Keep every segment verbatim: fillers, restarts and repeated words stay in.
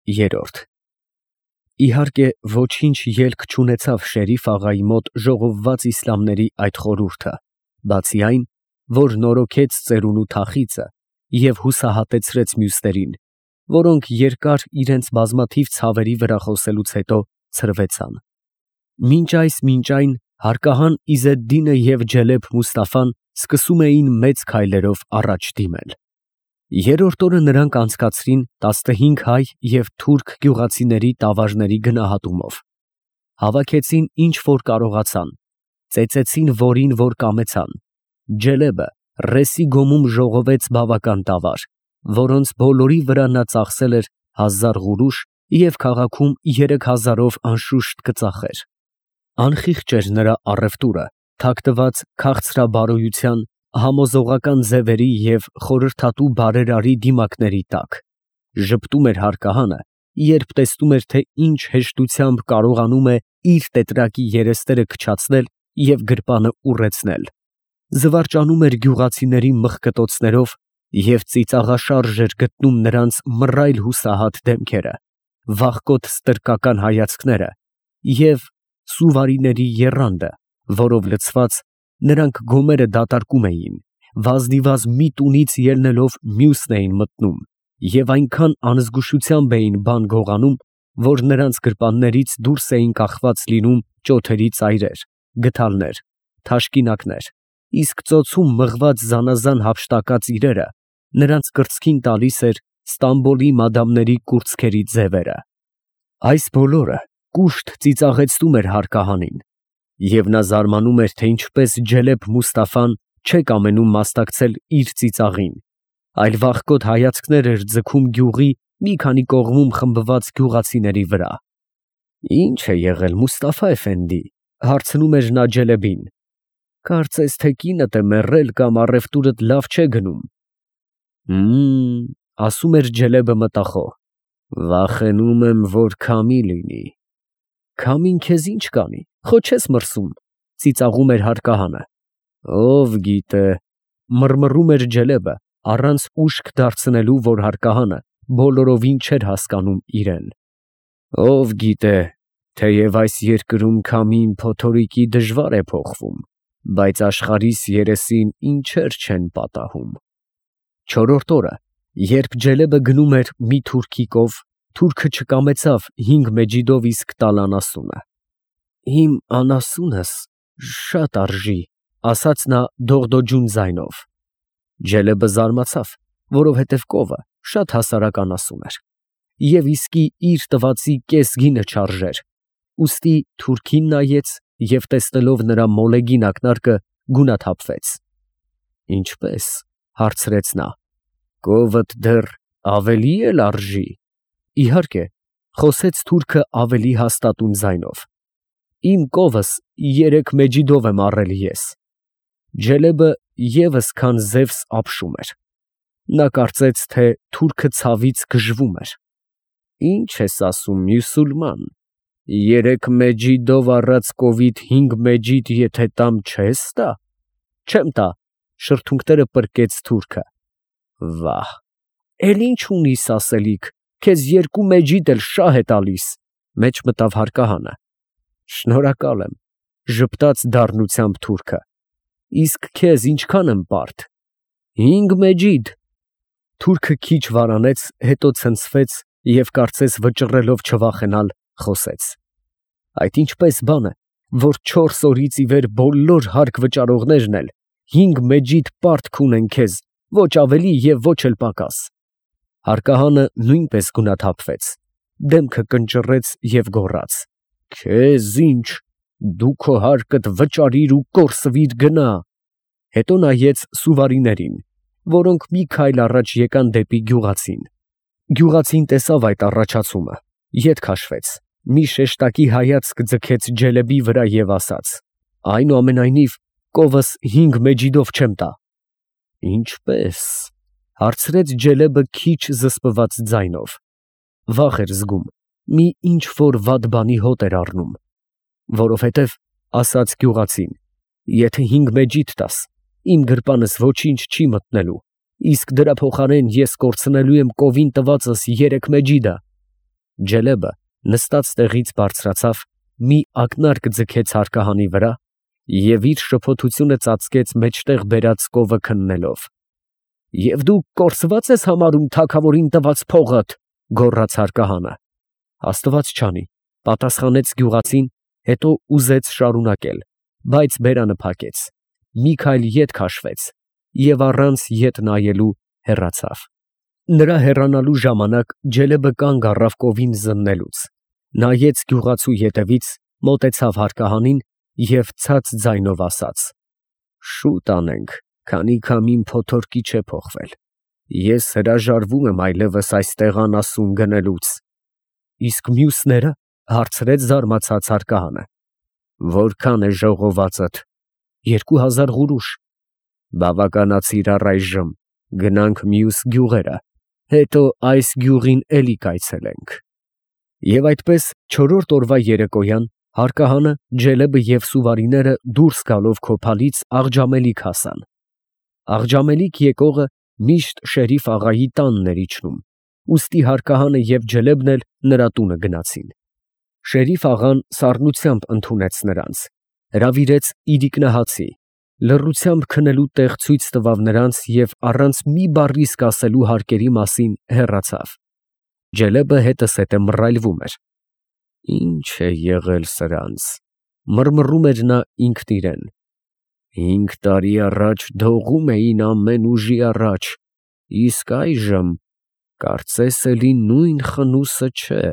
Երրորդ Իհարկե, ոչինչ ելք չունեցավ Շերիֆ աղայի մոտ ժողովված իսլամների այդ խորհուրդը, բացի այն, որ նորոգեց ծերունու թախիծը և հուսահատեցրեց մյուսներին, որոնք երկար իրենց բազմաթիվ ցավերի վրա խոսելուց հետո ցրվեցան։ Մինչ այս, մինչ այն, հարկահան Իզեդդինը և Ջելեբ Մուստաֆան սկսում էին մեծ քայլերով առաջ դիմել։ Երրորդ օրը նրանք անցկացրին տասնհինգ հայ և թուրք գյուղացիների տավարների գնահատումով, հավաքեցին ինչ որ կարողացան, ծեծեցին որին որ կամեցան։ Ջելեբը Ռեսի գոմում ժողովեց բավական տավար, որոնց բոլորի վրա նա ծախսել էր հազար ղուրուշ և քաղաքում երեք հազարով անշուշտ կծախեր։ Անխիղճ էր նրա առևտուրը, թաքնված քաղցրաբարոյության, համոզողական ձևերի և խորհրդատու բարերարի դիմակների տակ, ժպտում էր հարկահանը, երբ տեսնում էր, թե ինչ հեշտությամբ կարողանում է իր տետրակի երեսները քչացնել և գրպանը ուռեցնել, զվարճանում էր գյուղացիների մխկտոցներով և ծիծաղաշարժ էր գտնում նրանց մռայլ հուսահատ դեմքերը, վախկոտ ստրկական հայացքները և սուվարիների եռանդը, որով լցված, նրանք գոմերը դատարկում էին, վազդիվազ մի տունից ելնելով մյուսն էին մտնում և այնքան անզգուշությամբ էին բան գողանում, որ նրանց գրպաններից դուրս էին կախված լինում ճոթերի ծայրեր, գդալներ, թաշկինակներ, իսկ ծոցում մղված զանազան հափշտակած իրերը նրանց կրծքին տալիս էր Ստամբոլի մադամների կուրծքերի ձևերը։ Այս բոլորը կուշտ ծիծաղեցնում էր հարկահանին, և նա զարմանում էր, թե ինչպես Ջելեբ Մուստաֆան չէ կամենում մասնակցել իր ծիծաղին, այլ վախկոտ հայացքներ էր ձգում գյուղի մի քանի կողմում խմբված գյուղացիների վրա։ Ի՞նչ է եղել, Մուստաֆա էֆենդի, ֊ հարցնում էր նա Ջելեբին, ֊ կարծես թե կինդ է մեռել կամ առևտուրդ լավ չէ գնում։ Հըմ, ֊ ասում էր Ջելեբը մտախոհ, ֊ վախենում եմ, որ քամի լինի։ Քամին քեզ ի՞նչ կանի, խո չես մրսում, ֊ ծիծաղում էր հարկահանը։ Ով գիտե, ֊ մռմռում էր Ջելեբը, առանց ուշք դարձնելու, որ հարկահանը բոլորովին չէր հասկանում իրեն։ Ով գիտե, թեև այս երկրում քամին փոթորիկի դժվար է փոխվում, բայց աշխարհիս երեսին ինչեր չեն պատահում։ Չորրորդ օրը, երբ Ջելեբը գնում էր մի թուրքի կով, թուրքը չկամեցավ հինգ մեջիդով իսկ տալ անասունը։ Իմ անասունս շատ արժի, ֊ ասաց նա դողդոջուն ձայնով։ Ջելեբը զարմացավ, որովհետև կովը շատ հասարակ անասուն էր, և իսկի իր տվածի կես գինը չարժեր, ուստի թուրքին նայեց և տեսնելով նրա մոլեգին ակնարկը գունաթափվեց։ Ինչպե՞ս, ֊ հարցրեց նա, ֊ կովդ դեռ ավելի էլ արժի։ Իհարկե, ֊ խոսեց թուրքը ավելի հաստատուն ձայնով, իմ կովս երեք մեջիդով եմ առել ես։ Ջելեբը ևս քան Զևս ապշում էր։ Նա կարծեց, թե թուրքը ցավից գժվում էր։ Ի՞նչ ես ասում, մյուսուլման, երեք մեջիդով առած կովիդ հինգ մեջիդ եթե տամ, չե՞ս տա։ Չեմ տա, ֊ շրթունքները պրկեց թուրքը։ Վահ, էլ ի՞նչ ունիս ասելիք, քեզ երկու մեջիդ էլ շահ է տալիս, ֊ մեջ մտավ հարկահանը։ Շնորհակալ եմ, ֊ ժպտաց դառնությամբ թուրքը, իսկ քեզ ինչքան եմ պարտ։ Հինգ մեջիդ։ Թուրքը քիչ վարանեց, հետո ցնցվեց և կարծես վճռելով չվախենալ, խոսեց. Այդ ինչպես բան է, որ չորս օրից ի վեր բոլոր հարկ վճարողներն էլ հինգ մեջիդ պարտք ունեն քեզ, ոչ ավելի և ոչ էլ պակաս։ Հարկահանը նույնպես գունաթափվեց, դեմքը կնճռեց և գոռաց. Քեզ ինչ, դու քո հարկդ վճարիր ու կորսվիր գնա։ Հետո նայեց սուվարիներին, որոնք մի քայլ առաջ եկան դեպի գյուղացին։ Գյուղացին տեսավ այդ առաջացումը, ետ քաշվեց, մի շեշտակի հայացք ձգեց Ջելեբի վրա և ասաց. այնուամենայնիվ, կովս հինգ մեջիդով չեմ տա։ Ինչպե՞ս, ֊ հարցրեց Ջելեբը քիչ զսպված ձայնով. վախ էր զգում, մի ինչ որ վատ բանի հոտ էր առնում։ Որովհետև, ֊ ասաց գյուղացին, ֊ եթե հինգ մեջիդ տաս, իմ գրպանս ոչինչ չի մտնելու, իսկ դրա փոխարեն ես կորցնելու եմ կովին տվածս երեք մեջիդը։ Ջելեբը նստած տեղից բարձրացավ, մի ակնարկ ձգեց հարկահանի վրա և իր շփոթությունը ծածկեց մեջտեղ բերած կովը քննելով։ «Եվ դու կորսվա՞ծ ես համարում թագավորին տված փողդ», ֊ գոռաց հարկահանը։ «Աստված չանի», ֊ պատասխանեց գյուղացին, հետո ուզեց շարունակել, բայց բերանը փակեց, մի քայլ ետ քաշվեց և առանց ետ նայելու հեռացավ։ Նրա հեռանալու ժամանակ Ջելեբը կանգ առավ կովին զննելուց, նայեց գյուղացու ետևից, մոտեցավ հարկահանին և ցած ձայնով ասաց. «Շուտ անենք, քանի քամին փոթորկի չէ փոխվել, ես հրաժարվում եմ այլևս այստեղ անասուն գնելուց»։ «Իսկ մյուսնե՞րը», ֊ հարցրեց զարմացած հարկահանը։ «Որքան է ժողովածդ»։ «Երկու հազար ղուրուշ»։ «Բավականացիր առայժմ, գնանք մյուս գյուղերը, հետո այս գյուղին էլի կայցելենք»։ Եվ այդպես չորրորդ օրվա երեկոյան հարկահանը, Ջելեբը և սուվարիները դուրս գալով քոփալից Աղջամելիք հասան։ Աղջամելիք եկողը միշտ Շերիֆ աղայի տանն էր իջնում, ուստի հարկահանը և Ջելեբն էլ նրա տունը գնացին։ Շերիֆ աղան սառնությամբ ընդունեց նրանց, հրավիրեց իրիկնահացի, լռությամբ քնելու տեղ ցույց տվավ նրանց և առանց մի բառի սկասելու հարկերի մասին հեռացավ։ Ջելեբը հետզհետե մռայլվում էր։ «Ի՞նչ է եղել սրանց», ֊ մռմռում էր նա ինքն իրեն։ «Հինգ տարի առաջ դողում էին ամեն ուժի առաջ, իսկ այժմ կարծես էլի նույն խնուսը չէ»։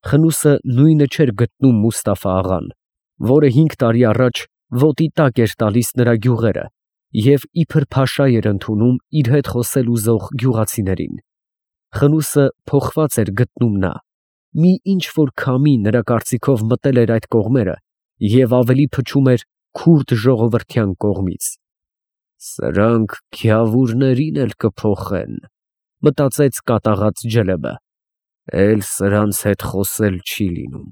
Խնուսը նույնը չէր գտնում Մուստաֆա աղան, որը հինգ տարի առաջ ոտի տակ էր տալիս նրա գյուղերը և իբր փաշա էր ընդունում իր հետ խոսել ուզող գյուղացիներին։ Խնուսը փոխված էր գտնում նա, մի ինչ֊որ քամի նրա կարծիքով մտել էր այդ կողմերը և ավելի փչում էր քուրդ ժողովրդյան կողմից։ «Սրանք քյավուրներին էլ կփոխեն», ֊ մտածեց կատաղած Ջելեբը, «էլ սրանց հետ խոսել չի լինում»։